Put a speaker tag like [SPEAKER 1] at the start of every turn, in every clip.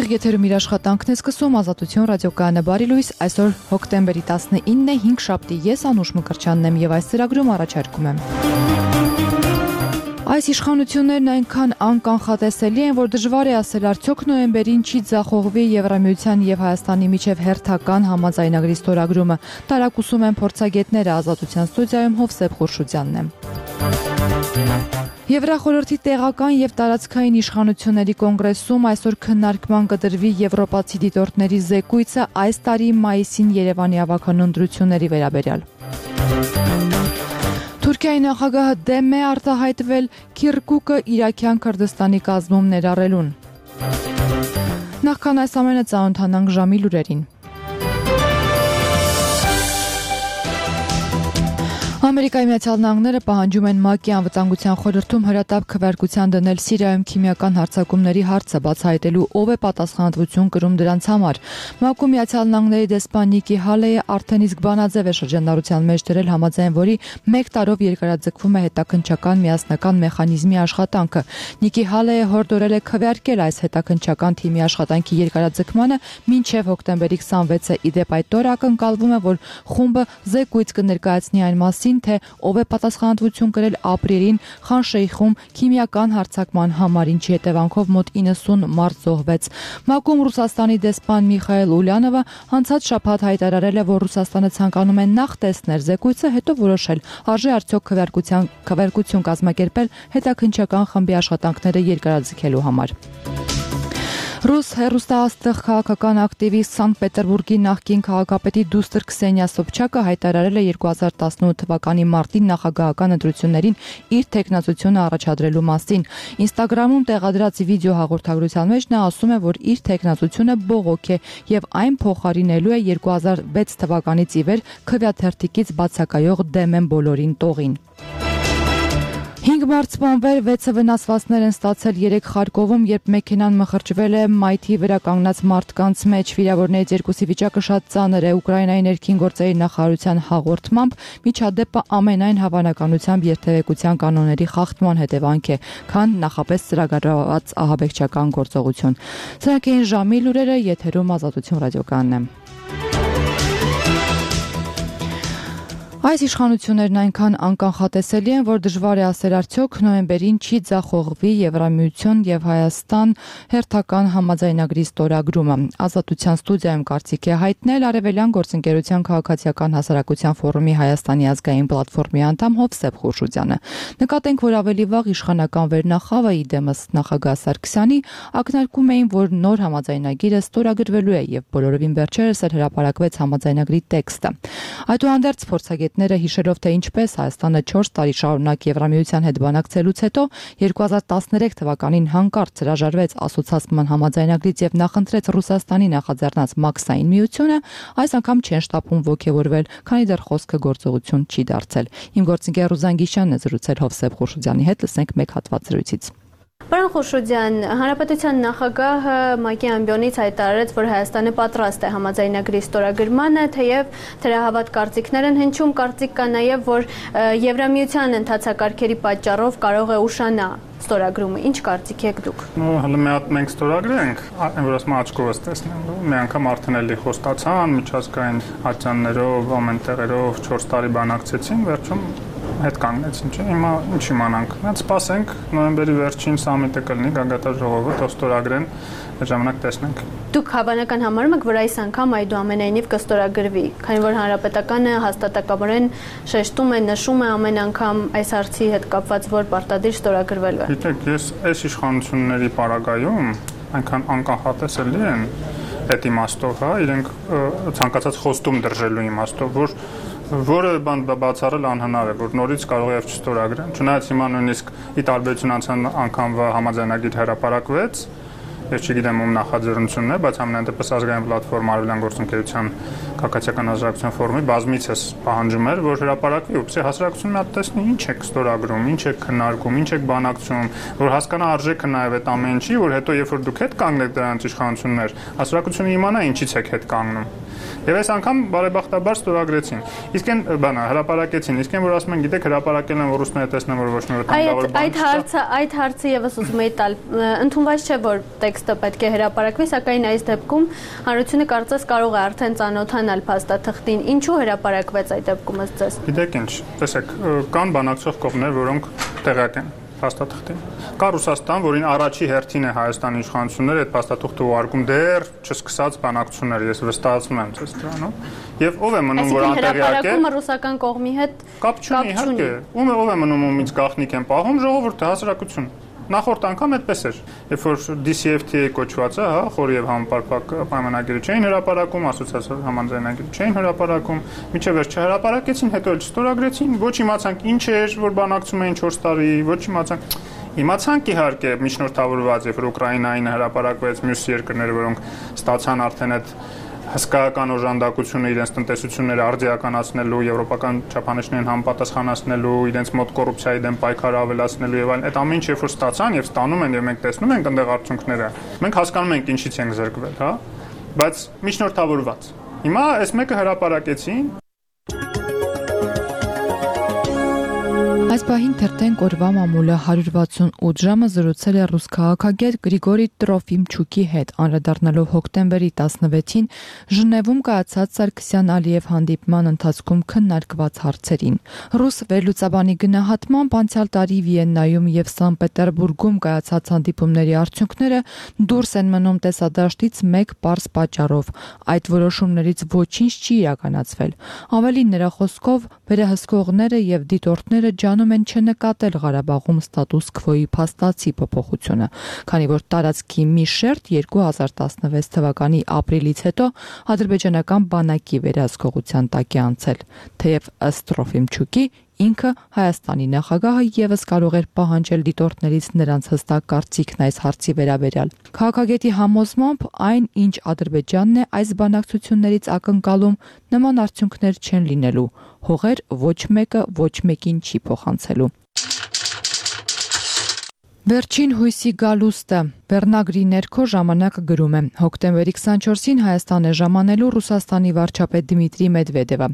[SPEAKER 1] Եթերում իր աշխատանքն է սկսում Ազատություն ռադիոկայանը բարի լույս, այսօր հոկտեմբերի 19-ն է, 5 շաբթի, ես Անուշ Մկրտչյանն եմ եւ այս ծրագրում առաջարկում եմ։ Այս իշխանություններն այնքան անկանխատեսելի են, որ դժվար է ասել արդյոք նոյեմբերին չի ձախողվի Եվրամիության եւ Հայաստանի միջև հերթական համաձայնագրի ստորագրումը։ Տարակուսում են փորձագետները, Ազատության ստուդիայում Հովսեփ Խուրշուդյանն է։ Եվրախորհրդի տեղական եւ տարածքային իշխանությունների կոնգրեսում այսօր քննարկման կդրվի եվրոպացի դիտորդների զեկույցը այս տարի մայիսին Երևանի ավագանուն ընտրությունների վերաբերյալ։ Թուրքիայի նախագահը դեմ է արտահայտվել Քիրկուկը Իրաքյան Քրդստանի կազմում ներառելուն։ Նախքան այս ամենը ծանոթանանք ժամի լուրերին։ Ամերիկայի Միացյալ Նահանգները պահանջում են ՄԱԿ-ի անվտանգության խորհրդում հրատապ քվեարկության դնել Սիրիայում քիմիական հարձակումների հարցը բացահայտելու ով է պատասխանատվություն կրում դրանց համար։ ՄԱԿ-ում Միացյալ Նահանգների դեսպան Նիկի Հալեյը արդեն իսկ բանաձև է շրջանառության մեջ դրել, համաձայն որի 1 տարով երկարաձգվում է հետաքննչական միասնական մեխանիզմի աշխատանքը։ Նիկի Հալեյը հորդորել է քվեարկել այս հետաքննչական թիմի աշխատանքի երկարաձգմանը մինչև հոկտեմբերի 26-ը։ Իդեպ այդ օրը ակնկալվում է, որ խումբը զեկույց կներկայացնի այն մասին, թե ով է պատասխանատվություն կրել ապրիլին Խան Շեյխում քիմիական հարձակման համար, ինչի հետևանքով մոտ 90 մարդ զոհվեց։ ՄԱԿ-ում Ռուսաստանի դեսպան Միխայել Ուլյանովը անցած շաբաթ հայտարարել է, որ Ռուսաստանը ցանկանում է նախ տեսնել զեկույցը, հետո որոշել արժե արդյոք քվեարկություն կազմակերպել հետաքննչական խմբի աշխատանքները երկարաձգելու համար։ Ռուս հեռուստաաստղ քաղաքական ակտիվիստ Սանկտ Պետերբուրգի նախկին քաղաքապետի դուստր Քսենիա Սոբչակը հայտարարել է 2018 թվականի մարտին նախագահական ընտրություններին իր թեկնածությունը առաջադրելու մասին։ Ինստագրամում տեղադրած վիդեո հաղորդագրության մեջ նա ասում է, որ իր թեկնածությունը բողոք է եւ այն փոխարինելու է 2006 թվականից ի վեր քվեաթերթիկից բացակայող դեմ են բոլորին տողին։ 5 մարդ սպանվել, 6-ը վնասվածքներ են ստացել 3 Խարկովում, երբ մեքենան մխրճվել է մայթի վրա կանգնած մարդկանց մեջ։ Վիրավորներից 2-ի վիճակը շատ ծանր է։ Ուկրաինայի ներքին գործերի նախարարության հաղորդմամբ միջադեպը ամենայն հավանականությամբ երթևեկության կանոնների խախտման հետևանք է, քան նախապես ծրագրված ահաբեկչական գործողություն։ Սրանք էին ժամի լուրերը, եթերում Ազատություն ռադիոկայանն է։ Այս իշխանություններն այնքան անկանխատեսելի են, որ դժվար է ասել արդյոք նոյեմբերին չի ձախողվի Եվրամիություն եւ Հայաստան հերթական համաձայնագրի ստորագրումը։ Ազատության ստուդիայում կարծիք է հայտնել Արևելյան գործընկերության քաղաքացիական հասարակության ֆորումի Հայաստանի ազգային պլատֆորմի անդամ Հովսեփ Խուրշուդյանը։ Նկատենք, որ ավելի վաղ իշխանական վերնախավը իդեմս նախագահ Սարգսյանի ակնարկում էին, որ նոր համաձայնագիրը ստորագրվելու է եւ բոլորովին վերջերս էլ հրապարակվեց համաձայնագրի տեքստը։ Այդուհանդերձ փորձագետները հիշելով, թե ինչպես Հայաստանը 4 տարի շարունակ Եվրամիության հետ բանակցելուց հետո 2013 թվականին հանկարծ հրաժարվեց ասոցացման համաձայնագրից եւ նախընտրեց Ռուսաստանի նախաձեռնած մաքսային միությունը, այս անգամ չեն շտապում ոգևորվել, քանի դեռ խոսքը գործողություն չի դարձել։ Իմ գործընկեր Ռուզան Գիշյանն է զրուցել Հովսեփ Խուրշուդյանի հետ, լսենք մեկ հատված զրույցից։
[SPEAKER 2] Պարոն Խուրշուդյան, Հանրապետության նախագահը ՄԱԿ-ի ամբիոնից հայտարարեց, որ Հայաստանը պատրաստ է համաձայնագրի ստորագրմանը, թեև թերահավատ կարծիքներ են հնչում, կարծիք կա նաև, որ Եվրամիության ընթացակարգերի պատճառով կարող է ուշանա ստորագրումը։ Ինչ կարծիք եք դուք։
[SPEAKER 3] Հələ մի հատ մենք ստորագրենք, որ ասում աչքովս տեսնելու։ Մի անգամ արդեն էլի խոստացան, միջազգային ատյաններով, ամեն տեղերով 4 տարի բանակցեցին, վերջում հետ կանգնեցին, չէ՞։ Հիմա ինչ իմանանք։ Մենք սպասենք նոյեմբերի վերջին սամիտը կլինի, գագաթաժողովը, թող ստորագրեն, այդ ժամանակ տեսնենք։
[SPEAKER 2] Դուք հավանական համարում եք, որ այս անգամ այդուամենայնիվ կստորագրվի, քանի որ հանրապետականը հաստատակաբարեն շեշտում է, նշում է ամեն անգամ այս հարցի հետ կապված, որ պարտադիր ստորագրվելու է։
[SPEAKER 3] Գիտեք, ես այս իշխանությունների պարագայում այնքան անկանխատեսելի են այդ իմաստով, հա, իրենք ցանկացած խոստում դրժելու իմաստով, որ որը բան բացառել անհնար է, որ նորից կարող է չստորագրեն։ Չնայած հիմա նույնիսկ ի տարբերություն անցան անգամվա համաձայնագիր հրապարակվեց, ես չգիտեմ ում նախաձեռնությունն է, բայց ամենայն դեպս ազգային պլատֆորմ Արևելյան գործընկերության քաղաքացիական հասարակության ֆորումի բազմիցս պահանջում էր, որ հրապարակվի, ուղղակի հասարակությունը մի հատ տեսնի ինչ է ստորագրում, ինչ է քննարկում, ինչ է բանակցում, որ հասկանա արժեքը նաև այդ ամեն ինչի, որ հետո երբ որ դուք հետ կանգնեք դրանց իշխանություններ, հասարակությունը իմանա ինչից եք հետ կանգնում։ Եվ այս անգամ բարեբախտաբար ստորագրեցին։ Իսկ այն բանը հրապարակեցին, իսկ այն որ ասում են, գիտեք, հրապարակել են, որ ռուսները տեսնեն, որ ոչ մի վտանգավոր բան չկա։
[SPEAKER 2] Այդ հարցը եւս ուզում եի տալ։ Ընդունված չէ, որ տեքստը պետք է հրապարակվի, սակայն այս դեպքում հանրությունը կարծես կարող է արդեն ծանոթանալ փաստաթղթին։ Ինչու հրապարակվեց այդ դեպքում ըստ ձեզ։
[SPEAKER 3] Գիտեք ինչ, տեսեք, կան բանակցող կողմեր, որոնք տեղյակ են փաստաթղթին։ Կա Ռուսաստան, որին առաջի հերթին է Հայաստանի իշխանությունները այդ փաստաթղթը ուղարկում դեռ չսկսած բանակցություններ, ես վստահեցնում եմ ձեզ դրանով։ Եվ ով է մնում, որ անտեղյակ է։
[SPEAKER 2] Հրապարակումը ռուսական կողմի հետ
[SPEAKER 3] կապ չունի, իհարկե։ Ով է մնում, ումից գաղտնիք են պահում, ժողովուրդը, հասարակություն։ Նախորդ անգամ այդպես էր, երբ որ DCFTA կոչվածը, հա, խորի եւ համապարփակ պայմանագիրը չէին հրապարակում, ասոցիացիա համաձայնագիրը չէին հրապարակում, միջև վերջ չհրապարակեցին, հետո էլ չստորագրեցին, ոչ իմացանք ինչ էր, որ բանակցում էին 4 տարի, ոչ իմացանք իհարկե միջնորդավորված, երբ որ Ուկրաինային հրապարակվեց, մյուս երկրները, որոնք ստացան արդեն այդ հսկայական օժանդակությունը իրենց տնտեսությունները արդիականացնելու, եվրոպական չափանիշներին համապատասխանացնելու, իրենց մոտ կոռուպցիայի դեմ պայքարը ավելացնելու եւ այլն, այդ ամեն ինչ երբ որ ստացան եւ ստանում են եւ մենք տեսնում ենք այնտեղ արդյունքները, մենք հասկանում ենք ինչից ենք զրկվել, հա, բայց միջնորդավորված։ Հիմա այս մեկը հրապարակեցին։
[SPEAKER 1] Այս պահին թերթենք օրվա մամուլը 168 ժամը զրուցել է ռուս քաղաքագետ Գրիգորի Տրոֆիմչուկի հետ, անդրադառնալով հոկտեմբերի 16-ին Ժնևում կայացած Սարգսյան-Ալիև հանդիպման ընթացքում քննարկված հարցերին։ Ռուս վերլուծաբանի գնահատմամբ անցյալ տարի Վիեննայում եւ Սանտ Պետերբուրգում կայացած հանդիպումների արդյունքները դուրս են մնում տեսադաշտից մեկ պարզ պատճառով. այդ որոշումներից ոչինչ չի իրականացվել։ Ավելին նրա խոսքով վերահսկողները եւ դիտորդները անում են չնկատել Ղարաբաղում ստատուս քվոյի փաստացի փոփոխությունը, քանի որ տարածքի մի շերտ 2016 թվականի ապրիլից հետո ադրբեջանական բանակի վերահսկողության տակ է անցել, թեև ըստ Տրոֆիմչուկի ինքը Հայաստանի նախագահը եւս կարող էր պահանջել դիտորդներից նրանց հստակ կարծիքն այս հարցի վերաբերյալ։ Քաղաքագետի համոզմամբ այն, ինչ Ադրբեջանն է այս բանակցություններից ակնկալում, նման արդյունքներ չեն լինելու, հողեր ոչ մեկը ոչ մեկին չի փոխանցելու։ Վերջին հույսի գալուստը Վերնագրի ներքո ժամանակը գրում է. հոկտեմբերի 24-ին Հայաստան է ժամանելու Ռուսաստանի վարչապետ Դմիտրի Մեդվեդևը։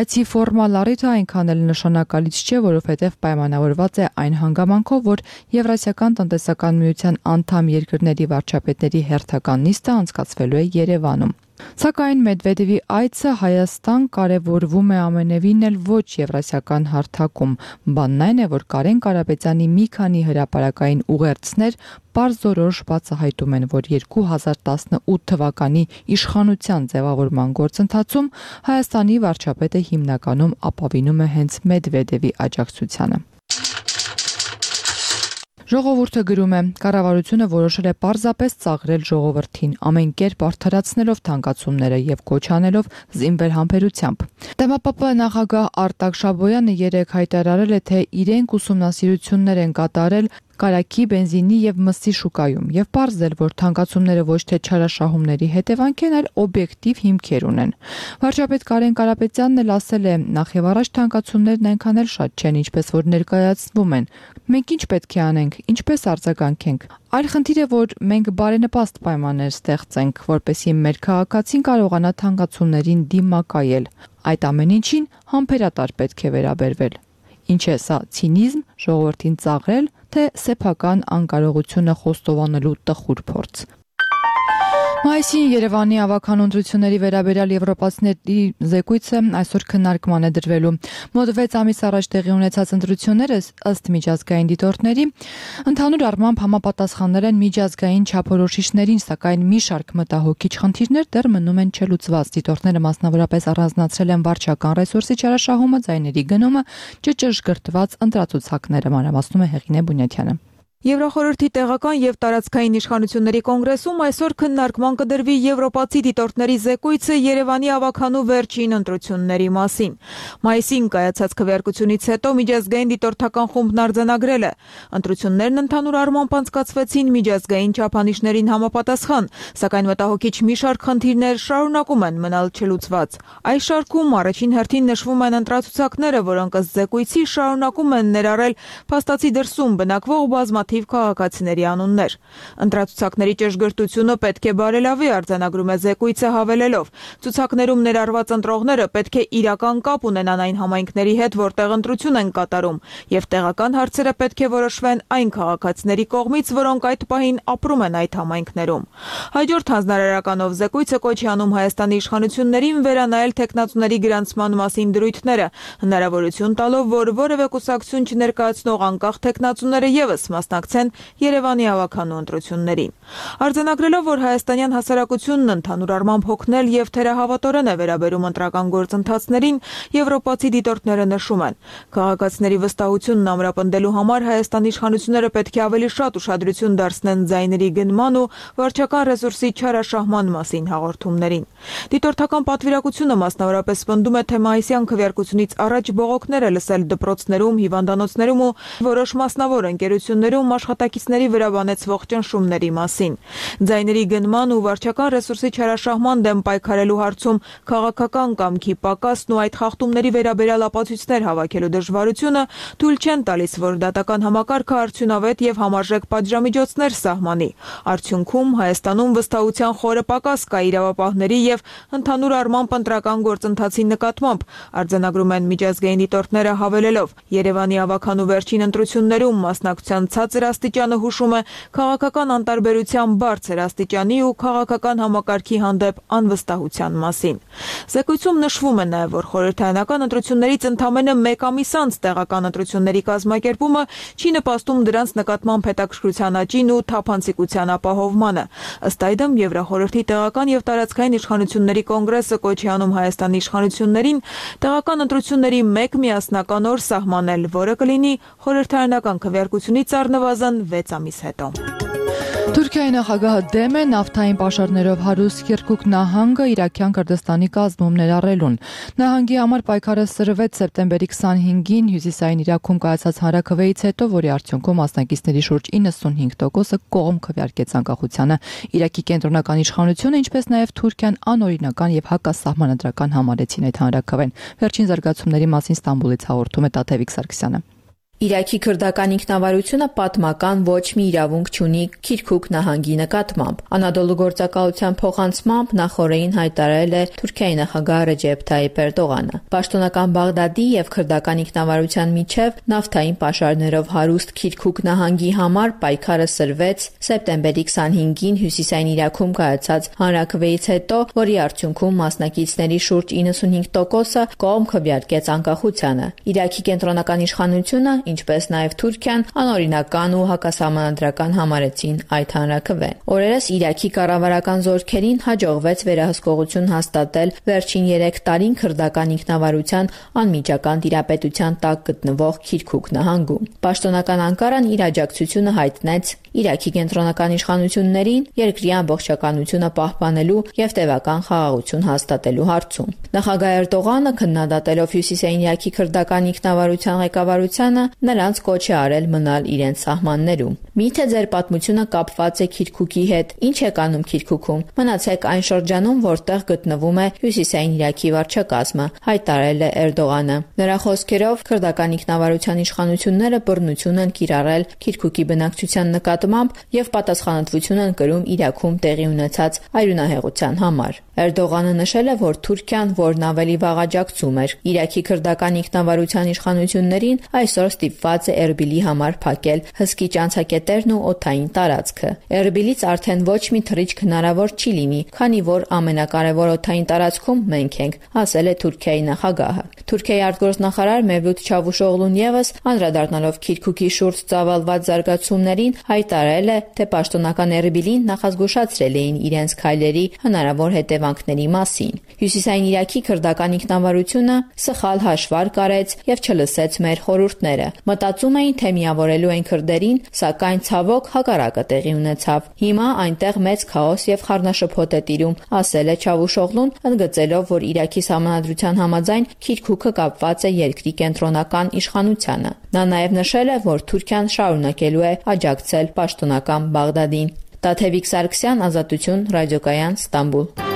[SPEAKER 1] Այցի ֆորմալ առիթը այնքան էլ նշանակալից չէ, որովհետև պայմանավորված է այն հանգամանքով, որ Եվրասիական տնտեսական միության անդամ երկրների վարչապետների հերթական նիստը անցկացվելու է Երևանում։ Սակայն Մեդվեդևի այցը Հայաստան կարևորվում է ամենևին էլ ոչ եվրասիական հարթակում։ Բանն այն է, որ Կարեն Կարապետյանի մի քանի հրապարակային ուղերձներ պարզորոշ բացահայտում են, որ 2018 թվականի իշխանության ձևավորման գործընթացում Հայաստանի վարչապետը հիմնականում ապավինում է հենց Մեդվեդևի աջակցությանը։ Ժողովուրդը գրում է. կառավարությունը որոշել է պարզապես ծաղրել ժողովրդին, ամեն կերպ արդարացնելով թանկացումները եւ կոչ անելով զինվեր համբերությամբ։ Դեմոպապ նախագահ Արտակ Շաբոյանը երեկ հայտարարել է, թե իրենք ուսումնասիրություններ են կատարել կարագի, բենզինի եւ մսի շուկայում եւ պարզել, որ թանկացումները ոչ թե չարաշահումների հետևանք են, այլ օբյեկտիվ հիմքեր ունեն։ Վարչապետ Կարեն Կարապետյանն էլ ասել է, նախ եւ առաջ թանկացումներն այնքան էլ շատ չեն, ինչպես որ ներկայացվում են։ Մենք ինչ պետք է անենք, ինչպես արձագանքենք։ Այլ խնդիր է, որ մենք բարենպաստ պայմաններ ստեղծենք, որպեսզի մեր քաղաքացին կարողանա թանկացումներին դիմակայել։ Այդ ամեն ինչին համբերատար պետք է վերաբերվել։ Ինչ է սա ցինիզմ, ժողովրդին ծաղրել, թե սեփական անկարողությունը խոստովանելու տխուր փորձ։ Մայիսին Երևանի ավագանու ընտրությունների վերաբերյալ եվրոպացիների զեկույցը այսօր քննարկման է դրվելու։ Մոտ 6 ամիս առաջ տեղի ունեցած ընտրությունները ըստ միջազգային դիտորդների ընդհանուր առմամբ համապատասխաններ են միջազգային չափորոշիչներին, սակայն մի շարք մտահոգիչ խնդիրներ դեռ մնում են չլուծված։ Դիտորդները մասնավորապես առանձնացրել են վարչական ռեսուրսի չարաշահումը, ձայների գնումը, ճշգրտված ընտրացուցակները, մանրամասնում է Հեղինե Բունյաթյանը։
[SPEAKER 4] Եվրախորհրդի տեղական եւ տարածքային իշխանությունների կոնգրեսում այսօր քննարկման կդրվի եվրոպացի դիտորդների զեկույցը Երևանի ավագանու վերջին ընտրությունների մասին։ Մայիսին կայացած քվեարկությունից հետո միջազգային դիտորդական խումբն արձանագրել է. ընտրություններն ընդհանուր առմամբ անցկացվեցին միջազգային չափանիշներին համապատասխան, սակայն մտահոգիչ մի շարք խնդիրներ շարունակում են մնալ չլուծված։ Այս շարքում առաջին հերթին նշվում են ընտրացուցակները, որոնք ըստ զեկույցի շարունակում են ներառել փաստացի դրսում բնակվող բազմաթիվ բազմաթիվ քաղաքացիների անուններ։ Ընտրացուցակների ճշգրտությունը պետք է բարելավի, արձանագրում է զեկույցը, հավելելով. ցուցակներում ներառված ընտրողները պետք է իրական կապ ունենան այն համայնքների հետ, որտեղ ընտրություն են կատարում, եւ տեղական հարցերը պետք է որոշվեն այն քաղաքացիների կողմից, որոնք այդ պահին ապրում են այդ համայնքներում։ Հաջորդ հանձնարարականով զեկույցը կոչ է անում Հայաստանի իշխանություններին վերանայել թեկնածուների գրանցման մասին դրույթները, հնարավորություն տալով, որ որևէ կուսակցություն չներկայացնող անկախ թեկնածուները ևս մասնակցեն Երևանի ավագանու ընտրություններին։ Արձանագրելով, որ հայաստանյան հասարակությունն ընդհանուր առմամբ հոգնել եւ թերահավատորեն է վերաբերում ընտրական գործընթացներին, եվրոպացի դիտորդները նշում են. քաղաքացիների վստահությունն ամրապնդելու համար Հայաստանի իշխանությունները պետք է ավելի շատ ուշադրություն դարձնեն ձայների գնման ու վարչական ռեսուրսի չարաշահման մասին հաղորդումներին։ Դիտորդական պատվիրակությունը մասնավորապես պնդում է, թե մայիսյան քվեարկությունից առաջ բողոքներ է լսել դպրոցներում, հիվանդանոցներում ու որոշ մասնավոր ընկերություններում աշխատակիցների վրա բանեցվող ճնշումների մասին։ Ձայների գնման ու վարչական ռեսուրսի չարաշահման դեմ պայքարելու հարցում քաղաքական կամքի պակասն ու այդ խախտումների վերաբերյալ ապացույցներ հավաքելու դժվարությունը թույլ չեն տալիս, որ դատական համակարգը արդյունավետ եւ համարժեք պատժամիջոցներ սահմանի։ Արդյունքում Հայաստանում վստահության խորը պակաս կա իրավապահների եւ ընդհանուր առմամբ ընտրական գործընթացի նկատմամբ, արձանագրում են միջազգային դիտորդները, հավելելով. Երևանի ավագանու վերջին ընտրություններում մասնակցության ցածր աստիճանը հուշում է քաղաքական անտարբերության բարձր աստիճանի ու քաղաքական համակարգի հանդեպ անվստահության մասին։ Զեկույցում նշվում է նաև, որ խորհրդարանական ընտրություններից ընդամենը 1 ամիս անց տեղական ընտրությունների կազմակերպումը չի նպաստում դրանց նկատմամբ հետաքրքրության աճին ու թափանցիկության ապահովմանը։ Ըստ այդմ Եվրախորհրդի տեղական եւ տարածքային իշխանությունների կոնգրեսը կոչ է անում Հայաստանի իշխանություններին տեղական ընտրությունների 1 միասնական օր սահմանել, որը կլինի խորհրդարանական քվեարկությունից առնվազն 6 ամիս հետո։
[SPEAKER 1] Թուրքիայի նախագահը դեմ է նավթային պաշարներով հարուստ Քիրքուկ նահանգը Իրաքյան Քրդստանի կազմում ներառելուն։ Նահանգի համար պայքարը սրվեց սեպտեմբերի 25-ին հյուսիսային Իրաքում կայացած հանրաքվեից հետո, որի արդյունքում մասնակիցների շուրջ 95%-ը կողմ քվեարկեց անկախությանը։ Իրաքի կենտրոնական իշխանությունը, ինչպես նաև Թուրքիան անօրինական եւ հակասահմանադրական համարեցին այդ հանրաքվեն։ Վերջին զարգացումների մասին Ստամբուլից հաղորդում է Տաթևիկ Սարգսյանը։
[SPEAKER 5] Իրաքի քրդական ինքնավարությունը պատմական ոչ մի իրավունք չունի Քիրքուկ նահանգի նկատմամբ։ Անադոլու գործակալության փոխանցմամբ նախորդին հայտարարել է Թուրքիայի նախագահ Ռեջեփ Թայիփ Էրդողանը։ Պաշտոնական Բաղդադի եւ քրդական ինքնավարության միջև նավթային պաշարներով հարուստ Քիրքուկ նահանգի համար պայքարը սրվեց սեպտեմբերի 25-ին հյուսիսային Իրաքում կայացած հանրաքվեից հետո, որի արդյունքում մասնակիցների շուրջ 95%-ը կողմ քվեարկեց անկախությանը։ Իրաքի կենտրոնական իշխանությունը, ինչպես նաև Թուրքիան անօրինական ու հակասահմանադրական համարեցին այդ հանրաքվեն։ Օրերս Իրաքի կառավարական զորքերին հաջողվեց վերահսկողություն հաստատել վերջին 3 տարին քրդական ինքնավարության անմիջական տիրապետության տակ գտնվող Քիրքուկ նահանգում։ Պաշտոնական Անկարան իր աջակցությունը հայտնեց Իրաքի կենտրոնական իշխանություններին երկրի ամբողջականությունը պահպանելու եւ տևական խաղաղություն հաստատելու հարցում։ Նախագահ Էրդողանը քննադատելով հյուսիսային Իրաքի քրդական ինքնավարության ղեկավարությանը նրանց կոչ է արել մնալ իրենց սահմաններում։ Միթե ձեր պատմությունը կապված է Քիրքուկի հետ, ինչ եք անում Քիրքուքում։ Մնացեք այն շրջանում, որտեղ գտնվում է հյուսիսային Իրաքի վարչակազմը, հայտարարել է Էրդողանը։ Նրա խոսքերով քրդական ինքնավարության իշխանությունները բռնություն են կիրառել Քիրքուկի բնակչության նկատմամբ եւ պատասխանատվություն են կրում Իրաքում տեղի ունեցած արյունահեղության համար։ Էրդողանը նշել է, որ Թուրքիան, որն ավելի վաղ աջակցում էր Իրաքի քրդական ինքնավարության իշխանություններին, այսօր ստիպված է Էրբիլի համար փակել հսկի ճանցակետերն ու օդային տարածքը։ Էրբիլից արդեն ոչ մի թռիչք հնարավոր չի լինի, քանի որ ամենակարևոր օդային տարածքում մենք ենք, ասել է Թուրքիայի նախագահը։ Թուրքիայի արտգործնախարար Մևլութ Չավուշօղլուն եւս անդրադառնալով Քիրքուկի շուրջ ծավալված զարգացումներին հայտարարել է, թե պաշտոնական Էրբիլին նախազգուշացրել էին իրենց քայլերի հնարավոր հետևանքների մասին։ Հյուսիսային Իրաքի քրդական ինքնավարությունը սխալ հաշվարկ արեց եւ չլսեց մեր խորհուրդները։ Մտածում էին, թե միավորելու են քրդերին, սակայն ցավոք հակառակը տեղի ունեցավ։ Հիմա այնտեղ մեծ քաոս եւ խառնաշփոթ է տիրում, ասել է Չավուշօղլուն, ընդգծելով, որ Իրաքի սահմանադրության համաձայն Քիրքուկը կապված է երկրի կենտրոնական իշխանությանը։ Նա նաեւ նշել է, որ Թուրքիան շարունակելու է աջակցել պաշտոնական Բաղդադին։ Տաթևիկ Սարգսյան, Ազատություն, Ռադիոկայան, Ստամբուլ։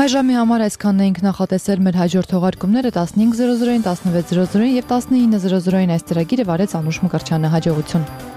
[SPEAKER 1] Այժմի համար այսքանն էինք նախատեսել մեր հաջորդ թողարկումները 15:00-ին, 16:00-ին եւ 19:00-ին այս ծրագիրը վարեց Անուշ Մկրտչյանը։ Հաջողություն։